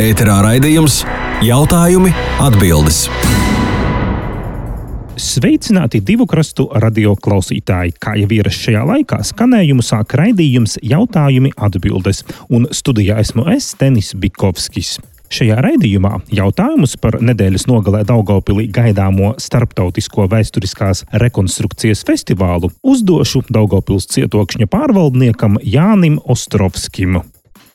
Ēterā raidījums Jautājumi, atbildes. Sveicināti divu krastu radio klausītāji. Kā jau ierasts šajā laikā, skanējumu sāk raidījums Jautājumi, atbildes. Un studijā esmu es, Tenis Bikovskis. Šajā raidījumā jautājumus par nedēļas nogalē Daugavpilī gaidāmo starptautisko vēsturiskās rekonstrukcijas festivālu uzdošu Daugavpils cietokšņa pārvaldniekam Jānim Ostrovskim.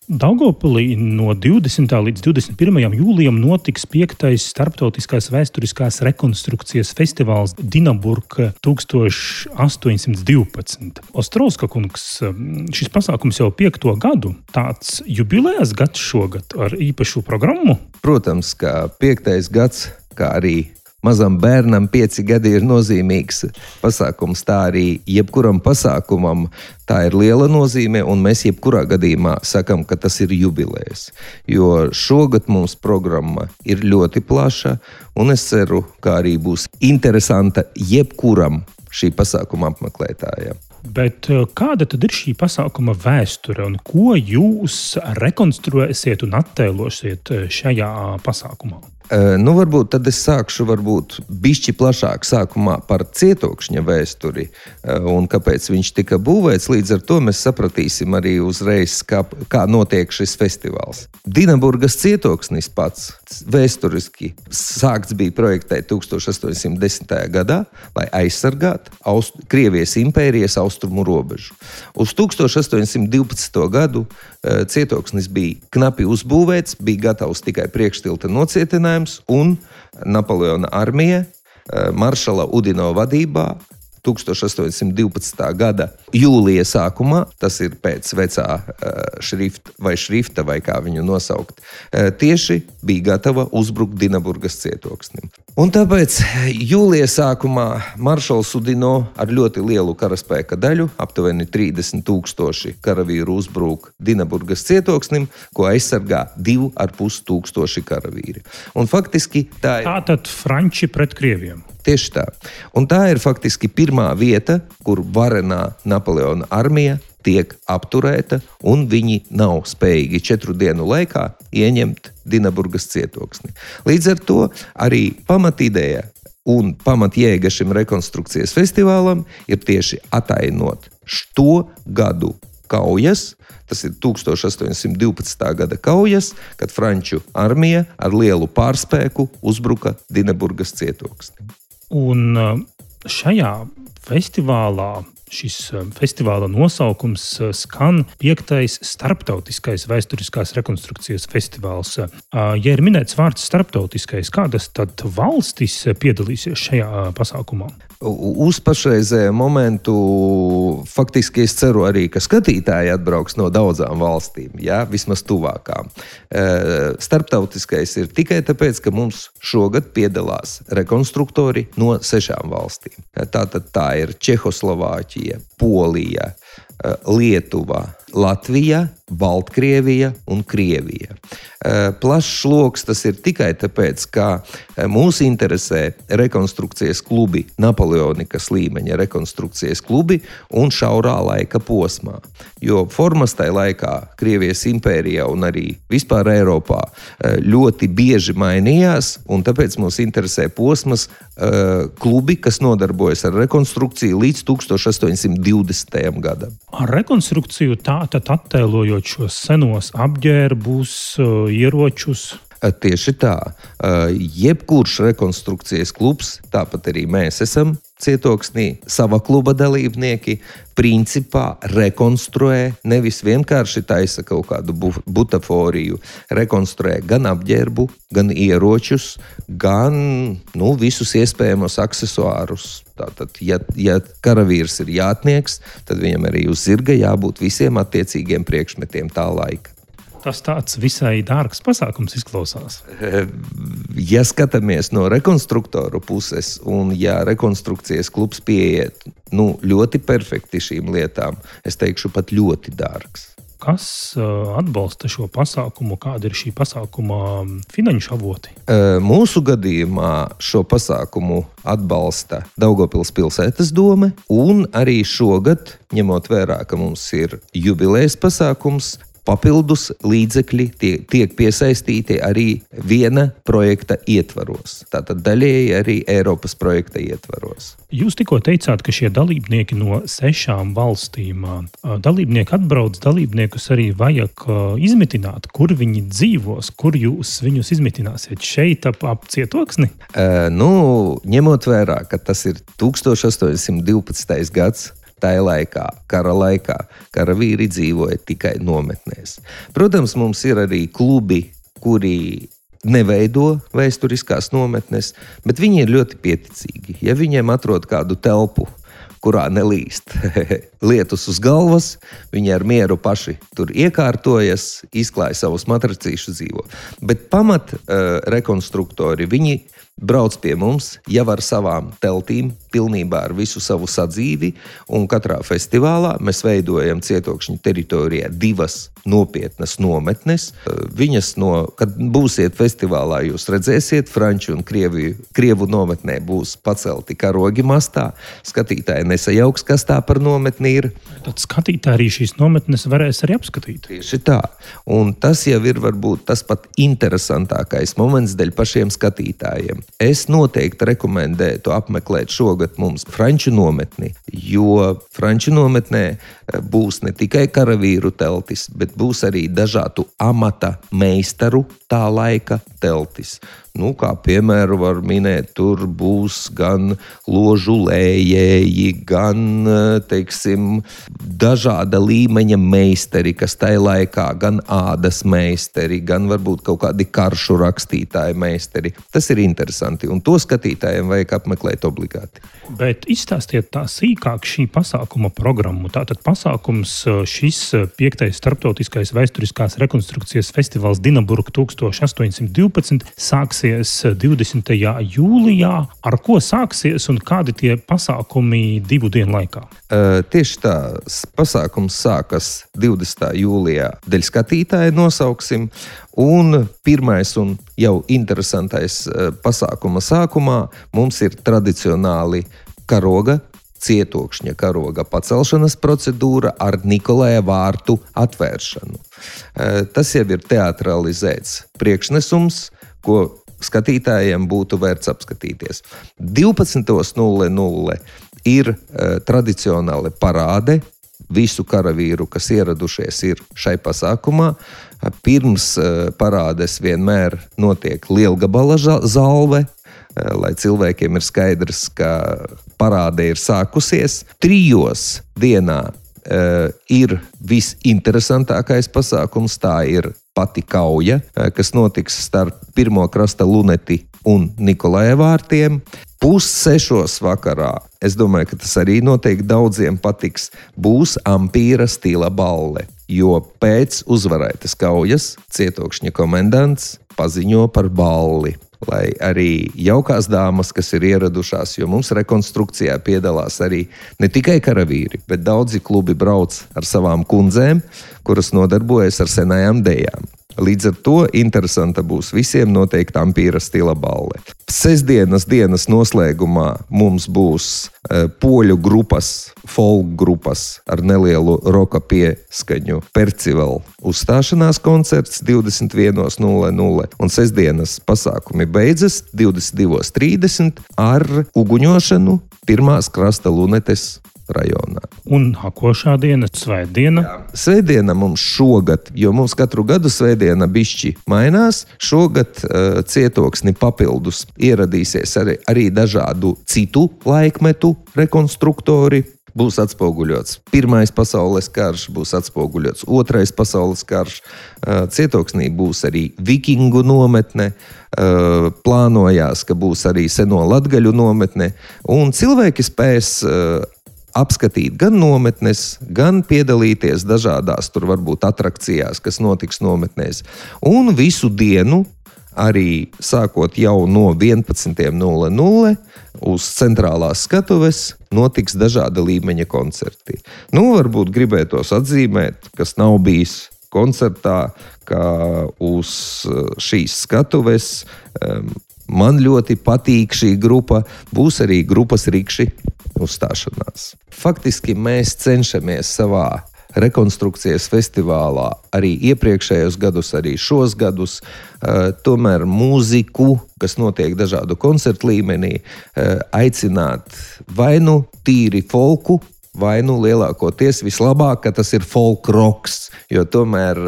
Daugavpilī no 20. līdz 21. jūlijam notiks 5. starptautiskās vēsturiskās rekonstrukcijas festivāls Dinaburga 1812. Ostrovska kungs, šis pasākums jau 5. gadu, tāds jubilejas gads šogad ar īpašu programmu? Protams, ka 5. gads, kā arī mazam bērnam 5 gadi ir nozīmīgs pasākums, tā arī jebkuram pasākumam tā ir liela nozīme, un mēs jebkurā gadījumā sakam, ka tas ir jubilejas. Jo šogad mums programma ir ļoti plaša, un es ceru, ka arī būs interesanta jebkuram šī pasākuma apmeklētājiem. Bet kāda tad ir šī pasākuma vēsture, un ko jūs rekonstruēsiet un attēlosiet šajā pasākumā? Varbūt tad es sākšu bišķi plašāk sākumā par cietokšņa vēsturi un kāpēc viņš tika būvēts. Līdz ar to mēs sapratīsim arī uzreiz, kā notiek šis festivāls. Dinaburgas cietoksnis pats vēsturiski sākts bija projektēt 1810. gadā, lai aizsargātu Krievijas impērijas austrumu robežu. Uz 1812. gadu cietoksnis bija knapi uzbūvēts, bija gatavs tikai priekštilta nocietinājums, un Napoleona armija maršala Udino vadībā 1812. gada jūlija sākumā, tas ir pēc vecā šrifta, vai kā viņu nosaukt, tieši bija gatava uzbrukt Dinaburgas cietoksnim. Un tāpēc jūlija sākumā maršals Udino ar ļoti lielu karaspēka daļu, aptuveni 30,000 karavīru uzbruk Dinaburgas cietoksnim, ko aizsargā 2,500 karavīri. Un faktiski tā ir... Tātad Franči pret Krieviem. Tieši tā. Un tā ir faktiski pirmā vieta, kur varenā Napoleona armija tiek apturēta, un viņi nav spējīgi 4 dienu laikā ieņemt Dinaburgas cietoksni. Līdz ar to arī pamatīdēja un pamatjēga šim rekonstrukcijas festivālam ir tieši atainot šo gadu kaujas. Tas ir 1812. gada kaujas, kad Franču armija ar lielu pārspēku uzbruka Dinaburgas cietoksni. Un šajā festivālā, šis festivāla nosaukums skan 5. starptautiskais vēsturiskās rekonstrukcijas festivāls. Ja ir minēts vārds starptautiskais, kādas tad valstis piedalīsies šajā pasākumā? Uz pašreizēju momentu faktiski es ceru arī, ka skatītāji atbrauks no daudzām valstīm, vismaz tuvākām. Starptautiskais ir tikai tāpēc, ka mums šogad piedalās rekonstruktori no 6 valstīm. Tātad tā ir Čehoslovāķija, Polija, Lietuva, Latvija, Baltkrievija un Krievija. Plašs loks tas ir tikai tāpēc, ka mūs interesē rekonstrukcijas klubi, Napoleonikas līmeņa rekonstrukcijas klubi un šaurā laika posmā. Jo formas tajā laikā Krievijas impērijā un arī vispār Eiropā ļoti bieži mainījās, un tāpēc mūs interesē posmas klubi, kas nodarbojas ar rekonstrukciju līdz 1820. gadam. Ar rekonstrukciju tātad attēlojot šos senos apģērbus, ieročus? Tieši tā. Jebkurš rekonstrukcijas klubs, tāpat arī mēs esam cietoksnī, sava kluba dalībnieki, principā rekonstruē, nevis vienkārši taisa kaut kādu butaforiju, rekonstruē gan apģērbu, gan ieročus, gan visus iespējamos aksesuārus. Tātad, ja karavīrs ir jātnieks, tad viņam arī uz zirga jābūt visiem attiecīgiem priekšmetiem tā laika. Tas tāds visai dārgs pasākums izklausās. Ja skatāmies no rekonstruktoru puses, un ja rekonstrukcijas klubs pieiet ļoti perfekti šīm lietām, es teikšu pat ļoti dārgs. Kas atbalsta šo pasākumu? Kāda ir šī pasākuma finanšu avoti? Mūsu gadījumā šo pasākumu atbalsta Daugavpils pilsētas dome, un arī šogad, ņemot vērā, ka mums ir jubilejas pasākums, papildus līdzekļi tiek piesaistīti arī viena projekta ietvaros. Tātad daļēji arī Eiropas projekta ietvaros. Jūs tikko teicāt, ka šie dalībnieki no 6 valstīm, dalībnieki atbrauc, dalībniekus arī vajag izmitināt, kur viņi dzīvos, kur jūs viņus izmitināsiet šeit ap Cietoksni? Ņemot vērā, ka tas ir 1812. gads, tajā laikā, karavīri dzīvoja tikai nometnēs. Protams, mums ir arī klubi, kuri neveido vēsturiskās nometnes, bet viņi ir ļoti pieticīgi. Ja viņiem atrod kādu telpu, kurā nelīst lietus uz galvas, viņi ar mieru paši tur iekārtojas, izklāja savus matracīšus dzīvo. Bet pamat rekonstruktori, viņi brauc pie mums jau ar savām teltīm, pilnībā ar visu savu sadzīvi, un katrā festivālā mēs veidojam Cietokšņa teritorijā 2 nopietnas nometnes. Viņas kad būsiet festivālā, jūs redzēsiet, franču un krievu nometnē būs pacelti karogi mastā. Skatītāji nesajauks, kas tā par nometni ir. Tad skatītāji arī šīs nometnes varēs arī apskatīt. Tieši tā. Un tas jau ir varbūt tas pat interesantākais moments dēļ pašiem skatītājiem. Es noteikti rekomendētu apmeklēt šogad mums franču nometni, jo franču nometnē būs ne tikai karavīru teltis, bet būs arī dažādu amata meistaru tā laika teltis. Kā piemēru var minēt, tur būs gan ložu lējēji, gan, dažāda līmeņa meistari, kas tajā laikā, gan ādas meistari, gan varbūt kaut kādi karšu rakstītāji meistari. Tas ir interesanti, un to skatītājiem vajag apmeklēt obligāti. Bet izstāstiet tā sīkāk šī pasākuma programmu. Tātad pasākums šis 5. starptautiskais vēsturiskās rekonstrukcijas festivāls Dinaburg 1812 sāksies 20. jūlijā. Ar ko sāksies un kādi tie pasākumi 2 dienu laikā? Tieši tā, pasākums sākas 20. jūlijā dēļ skatītāja nosauksim, un pirmais un jau interesantais pasākuma sākumā mums ir tradicionāli Cietokšņa karoga pacelšanas procedūra ar Nikolaja vārtu atvēršanu. Tas jau ir teatralizēts priekšnesums, ko skatītājiem būtu vērts apskatīties. 12.00 ir tradicionāli parāde visu karavīru, kas ieradušies ir šai pasākumā. Pirms parādes vienmēr notiek lielgabala zalve, lai cilvēkiem ir skaidrs, ka parāde ir sākusies. 3 dienā ir visinteresantākais pasākums, tā ir pati kauja, kas notiks starp 1. krasta luneti un Nikolaja vārtiem. 5:30 vakarā, es domāju, ka tas arī noteikti daudziem patiks, būs ampīra stila balle, jo pēc uzvarētas kaujas Cietokšņa komendants paziņo par balli. Lai arī jaukās dāmas, kas ir ieradušās, jo mums rekonstrukcijā piedalās arī ne tikai karavīri, bet daudzi klubi brauc ar savām kundzēm, kuras nodarbojas ar senajām dejām. Līdz ar to interesanta būs visiem noteikti ampīra stila balle. Sestdienas dienas noslēgumā mums būs poļu grupas, folk grupas ar nelielu roka pieskaņu Percival uzstāšanās koncerts 21.00, un sestdienas pasākumi beidzas 22.30 ar uguņošanu 1. krasta lunetes rajonā. Un hakošā diena, svētdiena? Jā, svētdiena mums šogad, jo mums katru gadu svētdiena bišķi mainās, šogad Cietoksni papildus ieradīsies arī dažādu citu laikmetu rekonstruktori. Būs atspoguļots 1. pasaules karš, būs atspoguļots 2. pasaules karš. Cietoksnī būs arī vikingu nometne, plānojās, ka būs arī seno latgaļu nometne, un cilvēki spēs apskatīt gan nometnes, gan piedalīties dažādās tur varbūt atrakcijās, kas notiks nometnēs. Un visu dienu, arī sākot jau no 11.00 uz centrālās skatuves, notiks dažāda līmeņa koncerti. Varbūt gribētos atzīmēt, kas nav bijis koncertā, ka uz šīs skatuves man ļoti patīk šī grupa, būs arī grupas Rikši uzstāšanās. Faktiski mēs cenšamies savā rekonstrukcijas festivālā arī iepriekšējos gadus, arī šos gadus. Tomēr mūziku, kas notiek dažādu koncertu līmenī, aicināt vai nu tīri folku, vai nu lielākoties vislabāk, ka tas ir folk rocks, jo tomēr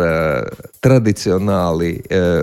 tradicionāli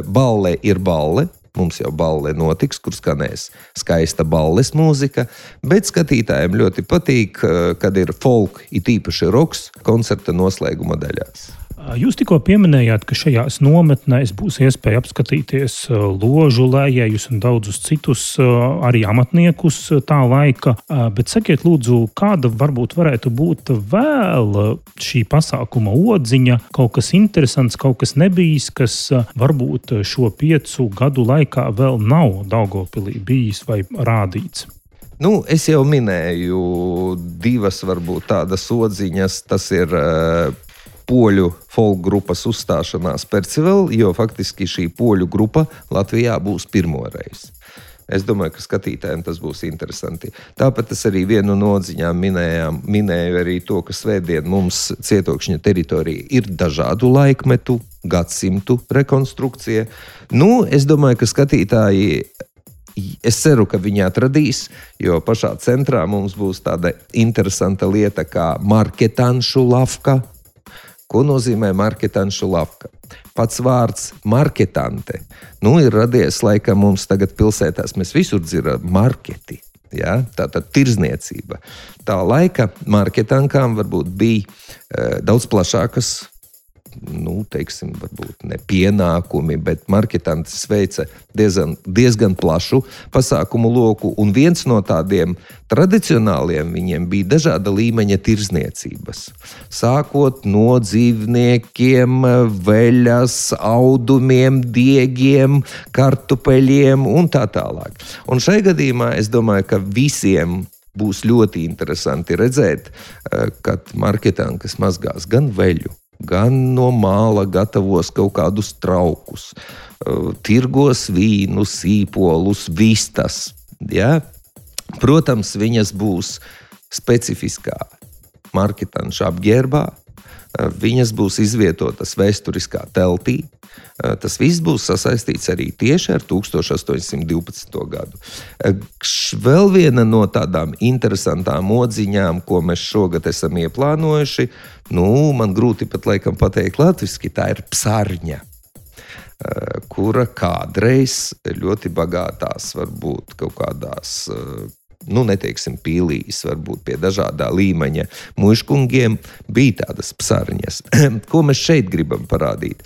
balle ir balle. Mums jau balle notiks, kur skanēs skaista balles mūzika, bet skatītājiem ļoti patīk, kad ir folk, it īpaši roks, koncerta noslēguma daļās. Jūs tikko pieminējāt, ka šajās nometnēs būs iespēja apskatīties ložu lējējus un daudzus citus arī amatniekus tā laika, bet sakiet lūdzu, kāda varbūt varētu būt vēl šī pasākuma odziņa, kaut kas interesants, kaut kas nebijis, kas varbūt šo 5 gadu laikā vēl nav Daugavpilī bijis vai rādīts? Es jau minēju 2 varbūt tādas odziņas, tas ir poļu folk grupas uzstāšanās Percival, jo faktiski šī poļu grupa Latvijā būs pirmoreiz. Es domāju, ka skatītājiem tas būs interesanti. Tāpat es arī vienu no odziņām minēju arī to, ka svētdien mums Cietokšņa teritorija ir dažādu laikmetu, gadsimtu rekonstrukcija. Es domāju, ka skatītāji, es ceru, ka viņi atradīs, jo pašā centrā mums būs tāda interesanta lieta kā marketanšu lavka. Ko nozīmē marketanšu lavka? Pats vārds marketante. Ir radies laikam mums tagad pilsētās, mēs visur dzirdam marketi. Ja? Tātad tirzniecība. Tā laika marketankām varbūt bija daudz plašākas, teiksim, varbūt ne pienākumi, bet marketantes veica diezgan plašu pasākumu loku, un viens no tādiem tradicionāliem viņiem bija dažāda līmeņa tirzniecības. Sākot no dzīvniekiem, veļas, audumiem, diegiem, kartupeļiem un tā tālāk. Un šai gadījumā es domāju, ka visiem būs ļoti interesanti redzēt, kad marketankas mazgās gan veļu, gan no māla gatavos kaut kādus traukus, tirgos vīnu, sīpolus, vistas. Ja? Protams, viņas būs specifiskā marketanša apģērbā, viņas būs izvietotas vēsturiskā teltī. Tas viss būs sasaistīts arī tieši ar 1812. gadu. Vēl viena no tādām interesantām odziņām, ko mēs šogad esam ieplānojuši, man grūti pat laikam pateikt latviski, tā ir psarņa, kura kādreiz ļoti bagātās varbūt kaut kādās neteiksim pīlīs, varbūt pie dažādā līmeņa muižkungiem bija tādas psarņas. Ko mēs šeit gribam parādīt?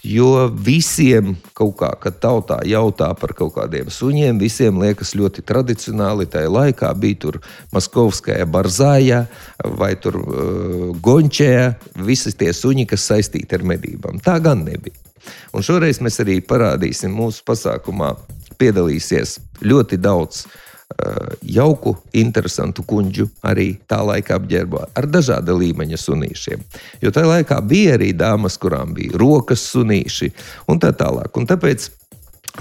Jo visiem kaut kā, kad tautā jautā par kaut kādiem suņiem, visiem liekas ļoti tradicionāli. Tajā laikā bija tur Maskovskaja Barzāja vai tur Gončēja, visi tie suņi, kas saistīti ar medībām. Tā gan nebija. Un šoreiz mēs arī parādīsim mūsu pasākumā, piedalīsies ļoti daudz jauku, interesantu kuņģu arī tā laika apģērbā ar dažāda līmeņa sunīšiem. Jo tajā laikā bija arī dāmas, kurām bija rokas sunīši un tā tālāk. Un tāpēc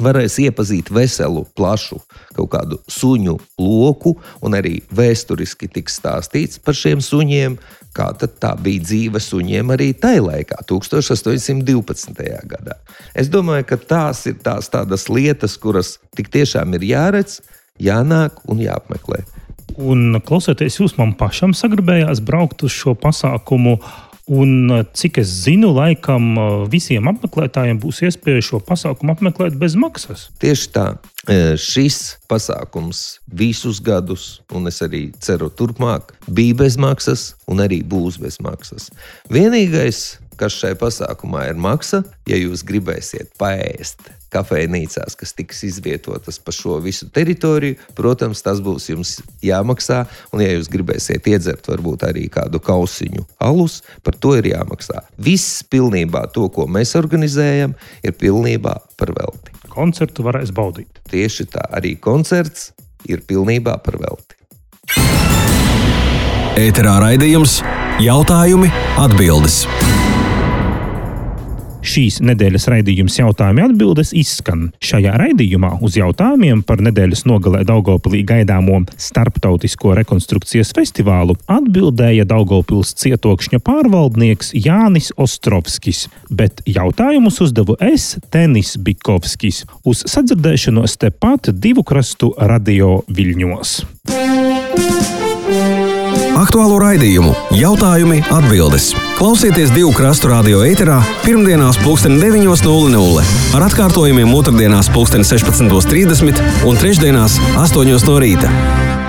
varēs iepazīt veselu, plašu kaut kādu suņu loku un arī vēsturiski tiks stāstīts par šiem suņiem, kā tad tā bija dzīve suņiem arī tajā laikā, 1812. gadā. Es domāju, ka tās ir tādas lietas, kuras tik tiešām ir jāredz, jānāk un jāapmeklē. Un klausoties jūs, man pašam sagribējās braukt uz šo pasākumu, un cik es zinu, laikam visiem apmeklētājiem būs iespēja šo pasākumu apmeklēt bez maksas. Tieši tā. Šis pasākums visus gadus, un es arī ceru turpmāk, bija bez maksas un arī būs bez maksas. Vienīgais, kas šai pasākumā ir maksa, ja jūs gribēsiet paēst kafejnīcās, kas tiks izvietotas pa šo visu teritoriju, protams, tas būs jums jāmaksā, un ja jūs gribēsiet iedzert varbūt arī kādu kausiņu alus, par to ir jāmaksā. Viss pilnībā to, ko mēs organizējam, ir pilnībā par velti. Koncertu varēs baudīt. Tieši tā, arī koncerts ir pilnībā par velti. Ēterā raidījums Jautājumi, atbildes. Šīs nedēļas raidījums jautājumi atbildes izskan. Šajā raidījumā uz jautājumiem par nedēļas nogalē Daugavpilī gaidāmo starptautisko rekonstrukcijas festivālu atbildēja Daugavpils cietokšņa pārvaldnieks Jānis Ostrovskis, bet jautājumus uzdevu es, Tenis Bikovskis, uz sadzirdēšanos tepat Divu krastu radio Viļņos. Aktuālo raidījumu jautājumi atbildes. Klausieties Divu krastu radio ēterā pirmdienās 9:00 ar atkārtojumiem otrdienās 16:30 un trešdienās 8:00 no rīta.